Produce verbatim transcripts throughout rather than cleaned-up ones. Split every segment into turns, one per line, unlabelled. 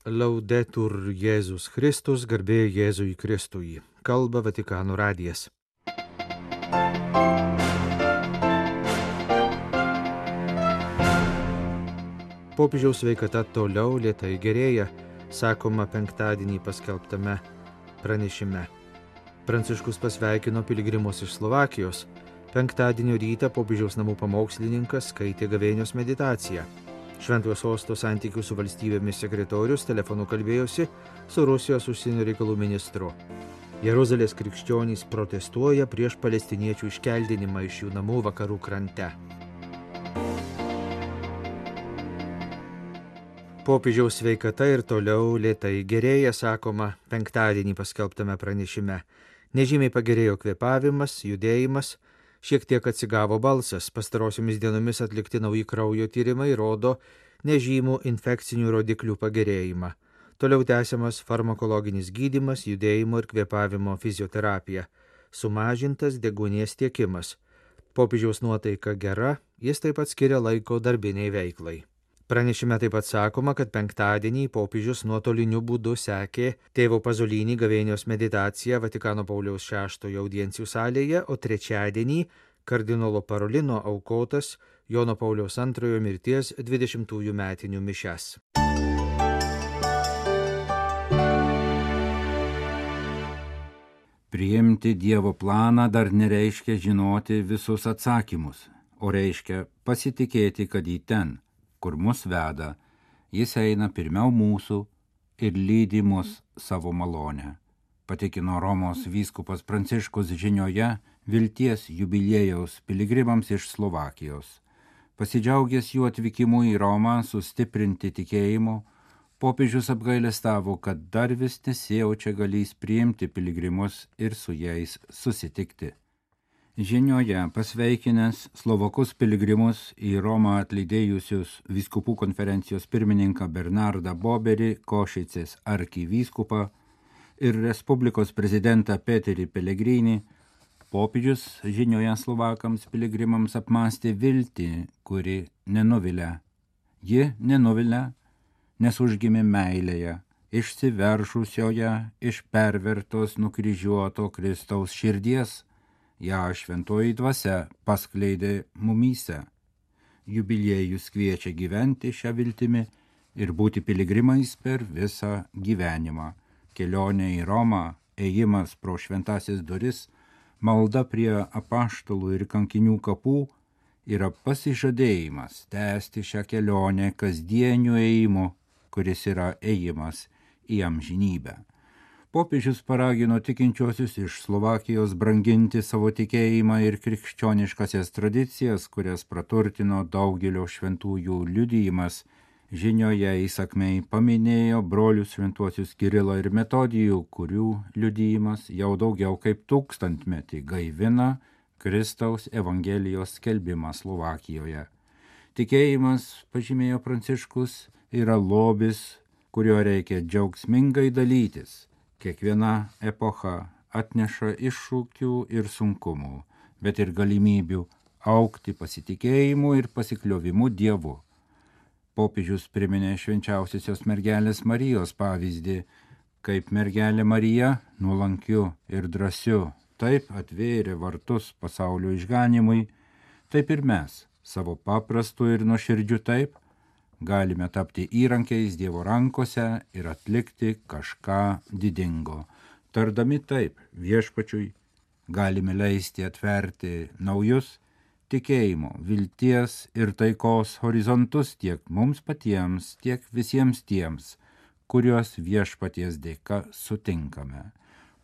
Laudetur Jėzus Kristus, garbė Jėzui Kristui. Kalba Vatikano radijas. Popiežiaus sveikata toliau lėtai gerėja, sakoma penktadienį paskelbtame pranešime. Pranciškus pasveikino piligrimus iš Slovakijos. Penktadienio rytą popiežiaus namų pamokslininkas skaitė gavėnios meditaciją. Šventojo sosto santykių su valstybėmis sekretorius telefonu kalbėjosi su Rusijos užsienio reikalų ministru. Jeruzalės krikščionys protestuoja prieš palestiniečių iškeldinimą iš jų namų vakarų krante. Popiežiaus sveikata ir toliau lėtai gerėja, sakoma penktadienį paskelbtame pranešime. Nežymiai pagerėjo kvėpavimas, judėjimas, šiek tiek atsigavo balsas. Pastarosiomis dienomis atlikti nauji kraujo tyrimai rodo nežymų infekcinių rodiklių pagerėjimą. Toliau tęsiamas farmakologinis gydymas, judėjimo ir kvėpavimo fizioterapija. Sumažintas deguonies tiekimas. Popiežiaus nuotaika gera, jis taip pat skiria laiko darbiniai veiklai. Pranešime taip pat sakoma, kad penktadienį popiežius nuotoliniu būdu sekė tėvo Pazolinį gavėnios meditaciją Vatikano Pauliaus šeštojo audiencijų salėje, o trečiadienį kardinolo Parolino aukotas Jono Pauliaus antrojo mirties dvidešimtųjų metinių mišias.
Priimti Dievo planą dar nereiškia žinoti visus atsakymus, o reiškia pasitikėti, kad į ten, kur mus veda, jis eina pirmiau mūsų ir lydi mus savo malonę. Patikino Romos vyskupas Pranciškus žinioje vilties jubiliejaus piligrimams iš Slovakijos. Pasidžiaugęs jų atvykimu į Romą sustiprinti tikėjimu, popiežius apgailestavo, kad dar vis nesijaučia galys priimti piligrimus ir su jais susitikti. Žinioje pasveikinęs slovakus piligrimus į Romą atlydėjusius vyskupų konferencijos pirmininką Bernardą Boberį, Košicės arkivyskupą ir Respublikos prezidentą Peterį Pelegrinį, popiežius žinioje slovakams piligrimams apmąstė viltį, kuri nenuvilia. Ji nenuvilia, nes užgimė meilėje, išsiveržusioje iš pervertos nukryžiuoto Kristaus širdies, ją šventoji dvasia paskleidė mumyse. Jubiliejus kviečia gyventi šią viltimi ir būti piligrimais per visą gyvenimą. Kelionė į Romą, ėjimas pro šventasis duris, malda prie apaštalų ir kankinių kapų yra pasižadėjimas tęsti šią kelionę kasdieniu ėjimu, kuris yra ėjimas į amžinybę. Popiežius paragino tikinčiosius iš Slovakijos branginti savo tikėjimą ir krikščioniškasias tradicijas, kurias praturtino daugelio šventųjų liudijimas. Žinioje įsakmiai paminėjo brolius šventuosius Kirilą ir Metodijų, kurių liudijimas jau daugiau kaip tūkstantmetį gaivina Kristaus evangelijos skelbimą Slovakijoje. Tikėjimas, pažymėjo Pranciškus, yra lobis, kurio reikia džiaugsmingai dalytis. Kiekviena epocha atneša iššūkių ir sunkumų, bet ir galimybių augti pasitikėjimu ir pasikliovimu Dievu. Popiežius priminė švenčiausiosios mergelės Marijos pavyzdį, kaip mergelė Marija nuolankiu ir drąsiu taip atvėrė vartus pasaulio išganimui, taip ir mes savo paprastu ir nuoširdžiu taip galime tapti įrankiais Dievo rankose ir atlikti kažką didingo. Tardami taip viešpačiui galime leisti atverti naujus tikėjimo, vilties ir taikos horizontus tiek mums patiems, tiek visiems tiems, kuriuos viešpaties dėka sutinkame.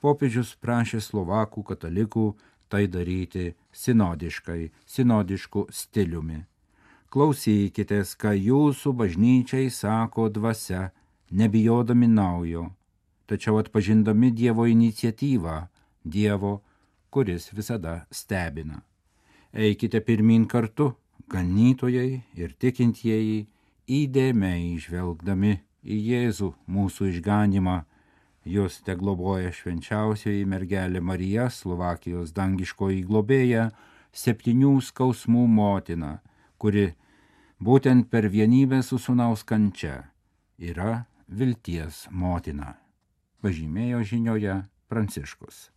Popiežius prašė slovakų katalikų tai daryti sinodiškai, sinodišku stiliumi. Klausykitės, ką jūsų bažnyčiai sako dvasia, nebijodami naujo, tačiau atpažindami Dievo iniciatyvą, Dievo, kuris visada stebina. Eikite pirmyn kartu, ganytojai ir tikintieji, įdėmiai žvelgdami į Jėzų mūsų išganimą. Jūs te globoja švenčiausioji mergelė Marija, Slovakijos dangiškoji globėja, septynių skausmų motina, kuri būtent per vienybę su sūnaus kančia yra vilties motina, pažymėjo žinioje Pranciškus.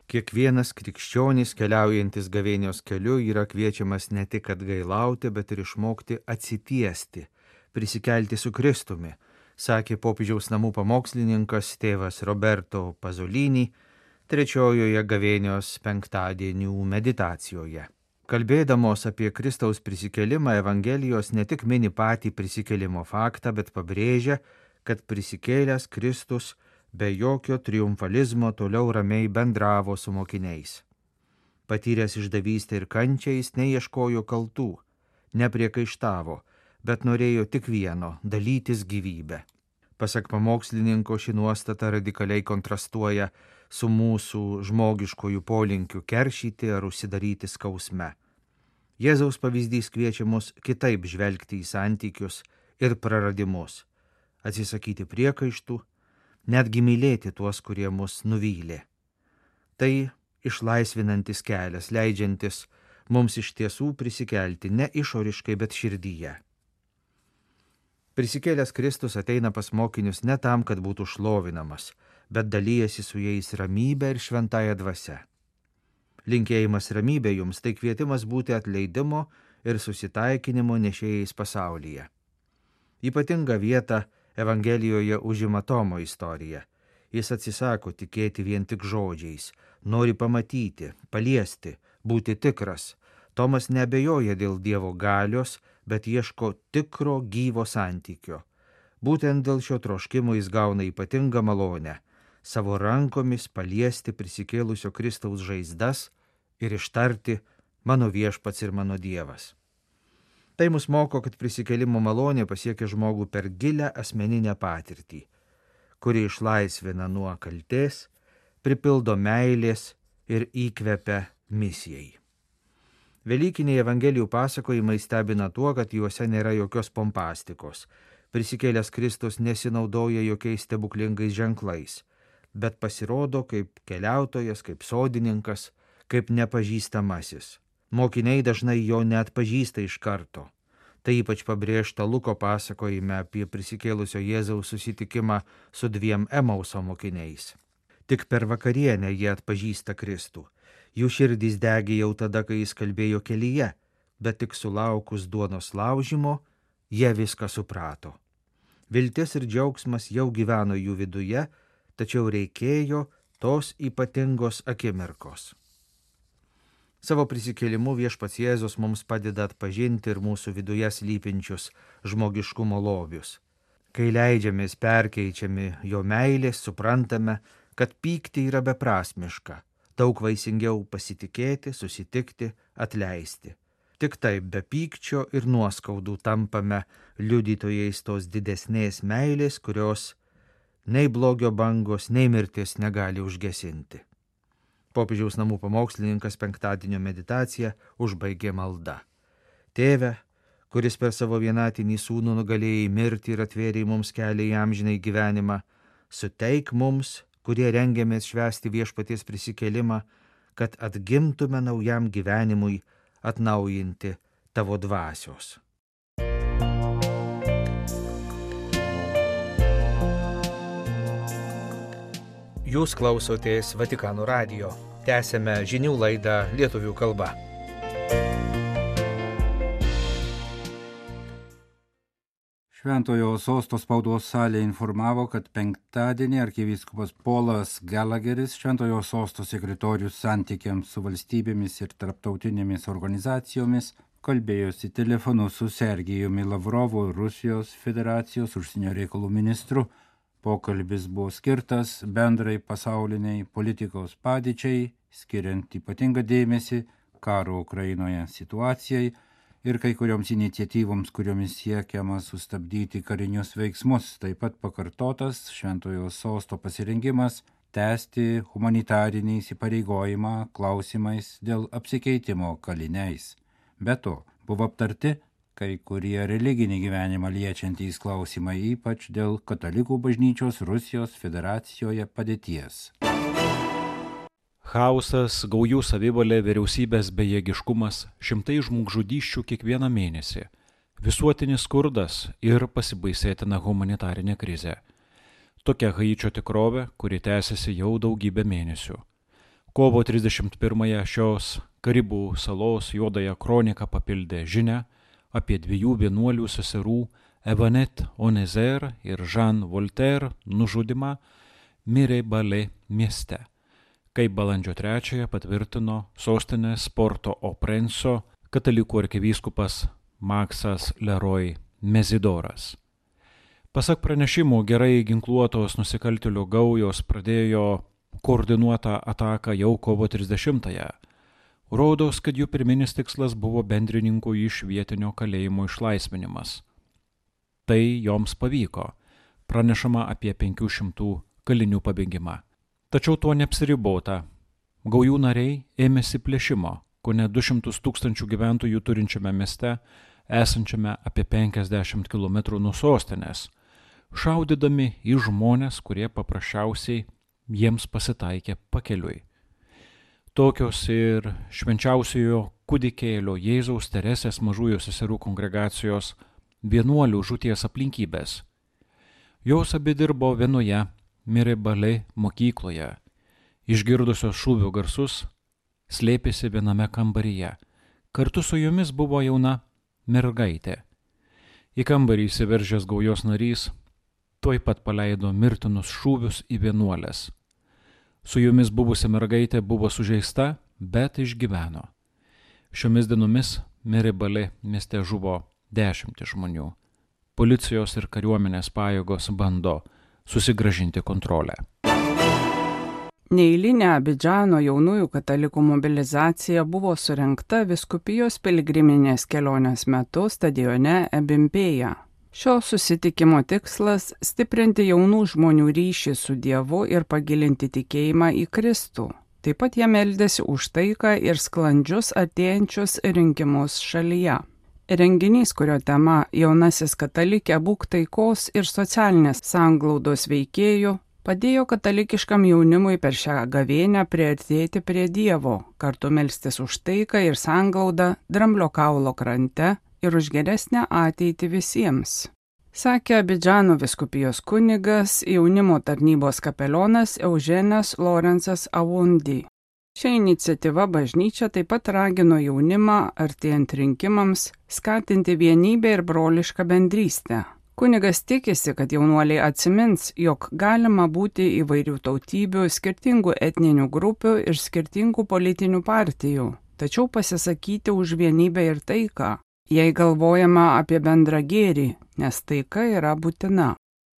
Kiekvienas krikščionis keliaujantis gavėnios keliu yra kviečiamas ne tik atgailauti, bet ir išmokti atsitiesti, prisikelti su Kristumi, sakė popiežiaus namų pamokslininkas tėvas Roberto Pasolini trečiojoje gavėnios penktadienių meditacijoje. Kalbėdamos apie Kristaus prisikelimą, Evangelijos ne tik mini patį prisikėlimo faktą, bet pabrėžia, kad prisikėlęs Kristus be jokio triumfalizmo toliau ramiai bendravo su mokiniais. Patyręs išdavystę ir kančią jis neieškojo kaltų, nepriekaištavo, bet norėjo tik vieno – dalytis gyvybę. Pasak pamokslininko, ši nuostata radikaliai kontrastuoja su mūsų žmogiškojų polinkiu keršyti ar užsidaryti skausme. Jėzaus pavyzdys kviečia mus kitaip žvelgti į santykius ir praradimus, atsisakyti priekaištų, netgi mylėti tuos, kurie mus nuvylė. Tai išlaisvinantis kelias, leidžiantis mums iš tiesų prisikelti ne išoriškai, bet širdyje. Prisikėlęs Kristus ateina pas mokinius ne tam, kad būtų šlovinamas, bet dalyjasi su jais ramybę ir šventąją dvasią. Linkėjimas ramybė jums tai kvietimas būti atleidimo ir susitaikinimo nešėjais pasaulyje. Ypatingą vietą Evangelijoje užima Tomo istorija. Jis atsisako tikėti vien tik žodžiais, nori pamatyti, paliesti, būti tikras. Tomas neabejoja dėl Dievo galios, bet ieško tikro gyvo santykio. Būtent dėl šio troškimo jis gauna ypatingą malonę – savo rankomis paliesti prisikėlusio Kristaus žaizdas ir ištarti mano viešpats ir mano Dievas. Tai mus moko, kad prisikėlimo malonė pasiekia žmogų per gilę asmeninę patirtį, kuri išlaisvina nuo kaltės, pripildo meilės ir įkvepia misijai. Velykiniai Evangelijų pasakojimai stebina tuo, kad juose nėra jokios pompastikos. Prisikėlęs Kristus nesinaudoja jokiais stebuklingais ženklais, bet pasirodo kaip keliautojas, kaip sodininkas, kaip nepažįstamasis. Mokiniai dažnai jo neatpažįsta iš karto. Tai ypač pabrėžta Luko pasakojime apie prisikėlusio Jėzaus susitikimą su dviem Emauso mokiniais. Tik per vakarienę jie atpažįsta Kristų. Jų širdys degė jau tada, kai jis kalbėjo kelyje, bet tik sulaukus duonos laužymo, jie viską suprato. Viltis ir džiaugsmas jau gyveno jų viduje, tačiau reikėjo tos ypatingos akimirkos. Savo prisikėlimu viešpats Jėzus mums padeda atpažinti ir mūsų viduje slypinčius žmogiškumo lobius. Kai leidžiamės perkeičiami jo meilės, suprantame, kad pykti yra beprasmiška, daug vaisingiau pasitikėti, susitikti, atleisti. Tik taip be pykčio ir nuoskaudų tampame liudytojais tos didesnės meilės, kurios nei blogio bangos, nei mirtis negali užgesinti. Popiežiaus namų pamokslininkas penktadienio meditaciją užbaigė malda. Tėve, kuris per savo vienatinį sūnų nugalėjai mirtį ir atvėrė mums kelią į amžinai gyvenimą, suteik mums, kurie rengiamės švęsti viešpaties prisikėlimą, kad atgimtume naujam gyvenimui atnaujinti tavo dvasios. Jūs klausotės Vatikano radijo. Tęsėme žinių laidą lietuvių kalba.
Šventojo sosto spaudos salė informavo, kad penktadienį arkivyskupas Polas Gallagheris, Šventojo sosto sekretorius santykiams su valstybėmis ir tarptautinėmis organizacijomis, kalbėjosi telefonu su Sergijumi Lavrovu, Rusijos federacijos užsienio reikalų ministru. Pokalbis buvo skirtas bendrai pasauliniai politikos padėčiai, skiriant ypatingą dėmesį karo Ukrainoje situacijai ir kai kurioms iniciatyvoms, kuriomis siekiama sustabdyti karinius veiksmus. Taip pat pakartotas Šventojo sosto pasirengimas tęsti humanitarinį įsipareigojimą klausimais dėl apsikeitimo kaliniais. Be to, buvo aptarti kai kurie religinį gyvenimą liečiantys klausimai, ypač dėl katalikų bažnyčios Rusijos federacijoje padėties.
Chaosas, gaujų savivalė, vyriausybės bejėgiškumas, šimtai žmogžudysčių kiekvieną mėnesį, visuotinis skurdas ir pasibaisėtina humanitarinė krizė. Tokia Haičio tikrovė, kuri tęsiasi jau daugybę mėnesių. Kovo trisdešimt pirmąją šios Karibų salos juodąją kroniką papildė žinia apie dviejų vienuolių seserų Evanet Onezer ir Jean Voltaire nužudymą Miré-Balais mieste, kaip balandžio trečiąją patvirtino sostinės Port-au-Prince katalikų arkivyskupas Maksas Leroy Mezidoras. Pasak pranešimų, gerai ginkluotos nusikaltėlių gaujos pradėjo koordinuotą ataką jau kovo trisdešimtąją. Rodos, kad jų pirminis tikslas buvo bendrininkų iš vietinio kalėjimo išlaisvinimas. Tai joms pavyko, pranešama apie penkių šimtų kalinių pabėgimą. Tačiau tuo neapsiribota. Gaujų nariai ėmėsi plėšimo, kone du šimtus tūkstančių gyventojų turinčiame mieste, esančiame apie penkiasdešimt kilometrų nuo sostinės, šaudydami į žmones, kurie paprasčiausiai jiems pasitaikė pakeliui. Tokios ir švenčiausiojo kūdikėlio Jėzaus Teresės mažųjų seserų kongregacijos vienuolių žūties aplinkybės. Jos abi dirbo vienoje Miré-Balais mokykloje. Išgirdusios šūvių garsus, slėpėsi viename kambaryje. Kartu su jomis buvo jauna mergaitė. Į kambarį įsiveržęs gaujos narys tuoj pat paleido mirtinus šūvius į vienuolės. Su jomis buvusi mergaitė buvo sužeista, bet išgyveno. Šiomis dienomis Miré-Balais mieste žuvo dešimtys žmonių. Policijos ir kariuomenės pajėgos bando susigrąžinti kontrolę.
Neeilinė Abidžano jaunųjų katalikų mobilizacija buvo surengta vyskupijos piligriminės kelionės metu stadione Ebimpėje. Šio susitikimo tikslas – stiprinti jaunų žmonių ryšį su Dievu ir pagilinti tikėjimą į Kristų. Taip pat jie meldėsi už taiką ir sklandžius artėjančius rinkimus šalyje. Renginys, kurio tema jaunasis katalikė būk taikos ir socialinės sanglaudos veikėjų, padėjo katalikiškam jaunimui per šią gavėnią priartėti prie Dievo, kartu melstis už taiką ir sanglaudą Dramblio kaulo krante ir už geresnę ateitį visiems. Sakė Abidžano vyskupijos kunigas, jaunimo tarnybos kapelionas Eugenas Lorenzas Awundi. Šią iniciatyvą bažnyčia taip pat ragino jaunimą, artėjant rinkimams, skatinti vienybę ir brolišką bendrystę. Kunigas tikisi, kad jaunuoliai atsimins, jog galima būti įvairių tautybių, skirtingų etninių grupių ir skirtingų politinių partijų, tačiau pasisakyti už vienybę ir taiką, jei galvojama apie bendrą gėrį, nes taika yra būtina.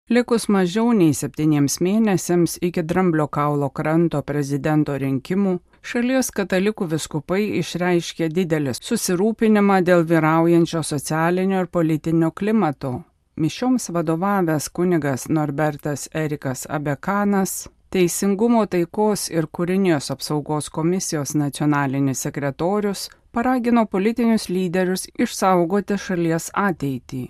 Likus mažiau nei septyniems mėnesiams iki Dramblio kaulo kranto prezidento rinkimų, šalies katalikų vyskupai išreiškė didelį susirūpinimą dėl vyraujančio socialinio ir politinio klimato. Mišioms vadovavęs kunigas Norbertas Erikas Abekanas, Teisingumo taikos ir kūrinijos apsaugos komisijos nacionalinis sekretorius, paragino politinius lyderius išsaugoti šalies ateitį.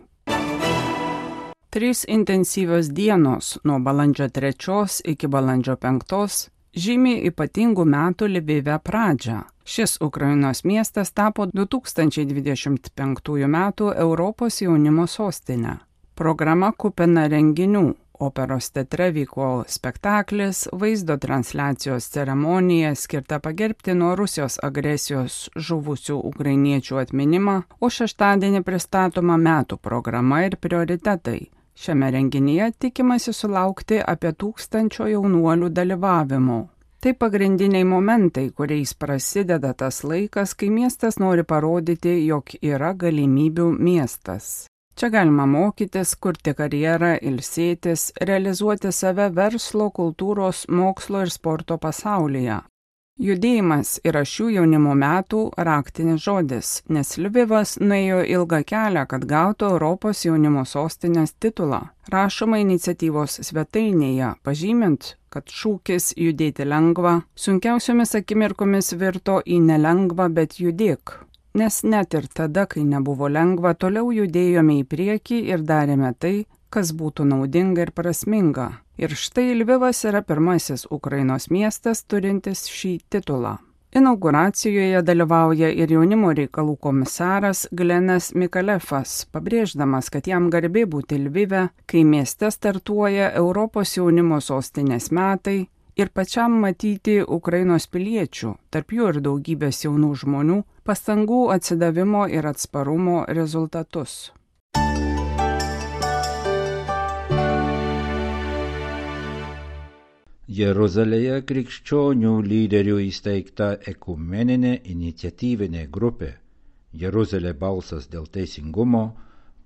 Trys intensyvios dienos nuo balandžio trečios iki balandžio penktos žymi ypatingų metų Lvive pradžią. Šis Ukrainos miestas tapo du tūkstančiai dvidešimt penktųjų metų Europos jaunimo sostinė. Programa kupina renginių. Operos teatre vyko spektaklis, vaizdo transliacijos ceremonija skirta pagerbti nuo Rusijos agresijos žuvusių ukrainiečių atminimą, o šeštadienį pristatoma metų programa ir prioritetai. Šiame renginyje tikimasi sulaukti apie tūkstančio jaunuolių dalyvavimo. Tai pagrindiniai momentai, kuriais prasideda tas laikas, kai miestas nori parodyti, jog yra galimybių miestas. Čia galima mokytis, kurti karjerą, ilsėtis, realizuoti save verslo, kultūros, mokslo ir sporto pasaulyje. Judėjimas yra šių jaunimo metų raktinis žodis, nes Lvivas nuėjo ilgą kelią, kad gautų Europos jaunimo sostinės titulą. Rašoma iniciatyvos svetainėje, pažymint, kad šūkis judėti lengva, sunkiausiomis akimirkomis virto į nelengvą, bet judėk. Nes net ir tada, kai nebuvo lengva, toliau judėjome į priekį ir darėme tai, kas būtų naudinga ir prasminga. Ir štai Lvivas yra pirmasis Ukrainos miestas turintis šį titulą. Inauguracijoje dalyvauja ir jaunimo reikalų komisaras Glenas Mikalefas, pabrėždamas, kad jam garbė būti Lvive, kai mieste startuoja Europos jaunimo sostinės metai ir pačiam matyti Ukrainos piliečių, tarp jų ir daugybės jaunų žmonių, pastangų atsidavimo ir atsparumo rezultatus.
Jeruzalėje krikščionių lyderių įsteigta ekumeninė iniciatyvinė grupė Jeruzalė balsas dėl teisingumo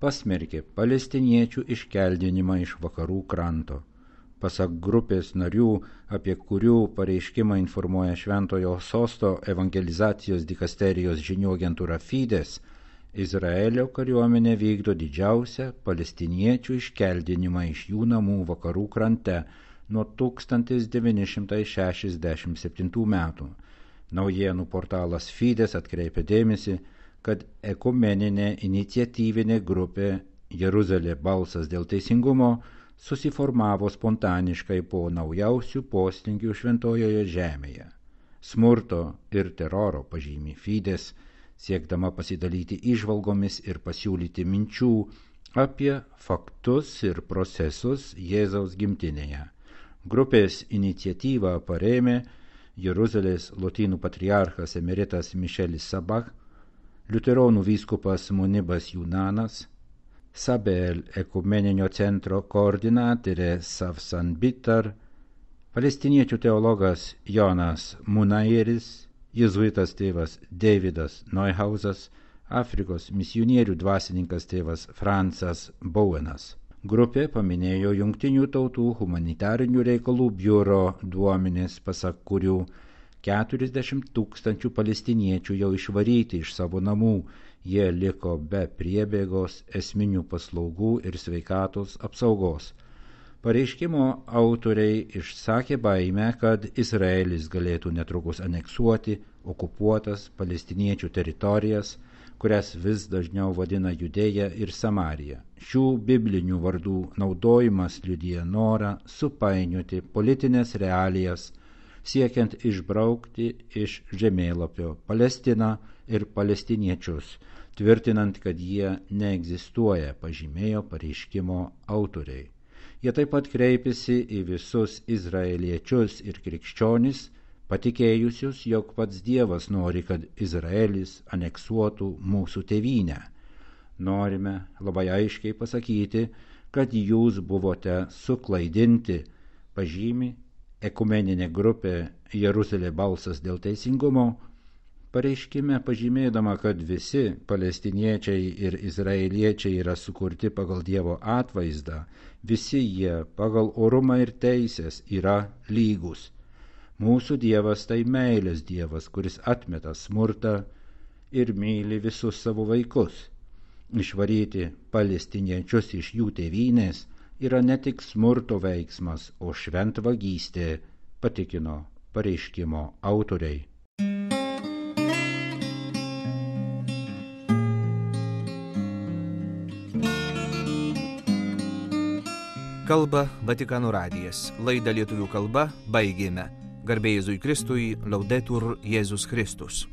pasmerkė palestiniečių iškeldinimą iš vakarų kranto. Pasak grupės narių, apie kurių pareiškimą informuoja Šventojo Sosto evangelizacijos dikasterijos žinių agentūra Fides, Izraelio kariuomenė vykdo didžiausią palestiniečių iškeldinimą iš jų namų vakarų krante nuo tūkstantis devyni šimtai šešiasdešimt septintų metų. Naujienų portalas Fides atkreipia dėmesį, kad ekumeninė iniciatyvinė grupė Jeruzalė balsas dėl teisingumo susiformavo spontaniškai po naujausių poslinkių šventojoje žemėje. Smurto ir teroro pažymi Fides, siekdama pasidalyti įžvalgomis ir pasiūlyti minčių apie faktus ir procesus Jėzaus gimtinėje. Grupės iniciatyvą parėmė Jeruzalės lotynų patriarchas emeritas Mišelis Sabach, liuteronų vyskupas Munibas Junanas, Sabel ekumeninio centro koordinatorė Savsan Bitar, palestiniečių teologas Jonas Munaieris, jėzuitas tėvas Davidas Neuhausas, Afrikos misionierių dvasininkas tėvas Francas Bowenas. Grupė paminėjo Jungtinių tautų humanitarinių reikalų biuro duomenis, pasak kurių keturiasdešimt tūkstančių palestiniečių jau išvaryti iš savo namų, jie liko be priebėgos, esminių paslaugų ir sveikatos apsaugos. Pareiškimo autoriai išsakė baimę, kad Izraelis galėtų netrukus aneksuoti okupuotas palestiniečių teritorijas, kurias vis dažniau vadina Judėja ir Samarija. Šių biblinių vardų naudojimas liudija norą supainioti politinės realijas, siekiant išbraukti iš žemėlapio Palestiną ir palestiniečius, tvirtinant, kad jie neegzistuoja, pažymėjo pareiškimo autoriai. Jie taip pat kreipėsi į visus izraeliečius ir krikščionis, patikėjusius, jog pats Dievas nori, kad Izraelis aneksuotų mūsų tėvynę. Norime labai aiškiai pasakyti, kad jūs buvote suklaidinti, pažymi ekumeninė grupė Jeruzalė balsas dėl teisingumo, pareiškime pažymėdama, kad visi palestiniečiai ir izraeliečiai yra sukurti pagal Dievo atvaizdą, visi jie pagal orumą ir teisės yra lygus. Mūsų Dievas tai meilės Dievas, kuris atmeta smurtą ir myli visus savo vaikus. Išvaryti palestiniečius iš jų tėvynės yra ne tik smurto veiksmas, o šventvagystė, patikino pareiškimo autoriai.
Kalba Vatikano radijas. Laidą lietuvių kalba baigėme. Garbė Jėzui Kristui, Laudetur Jėzus Kristus.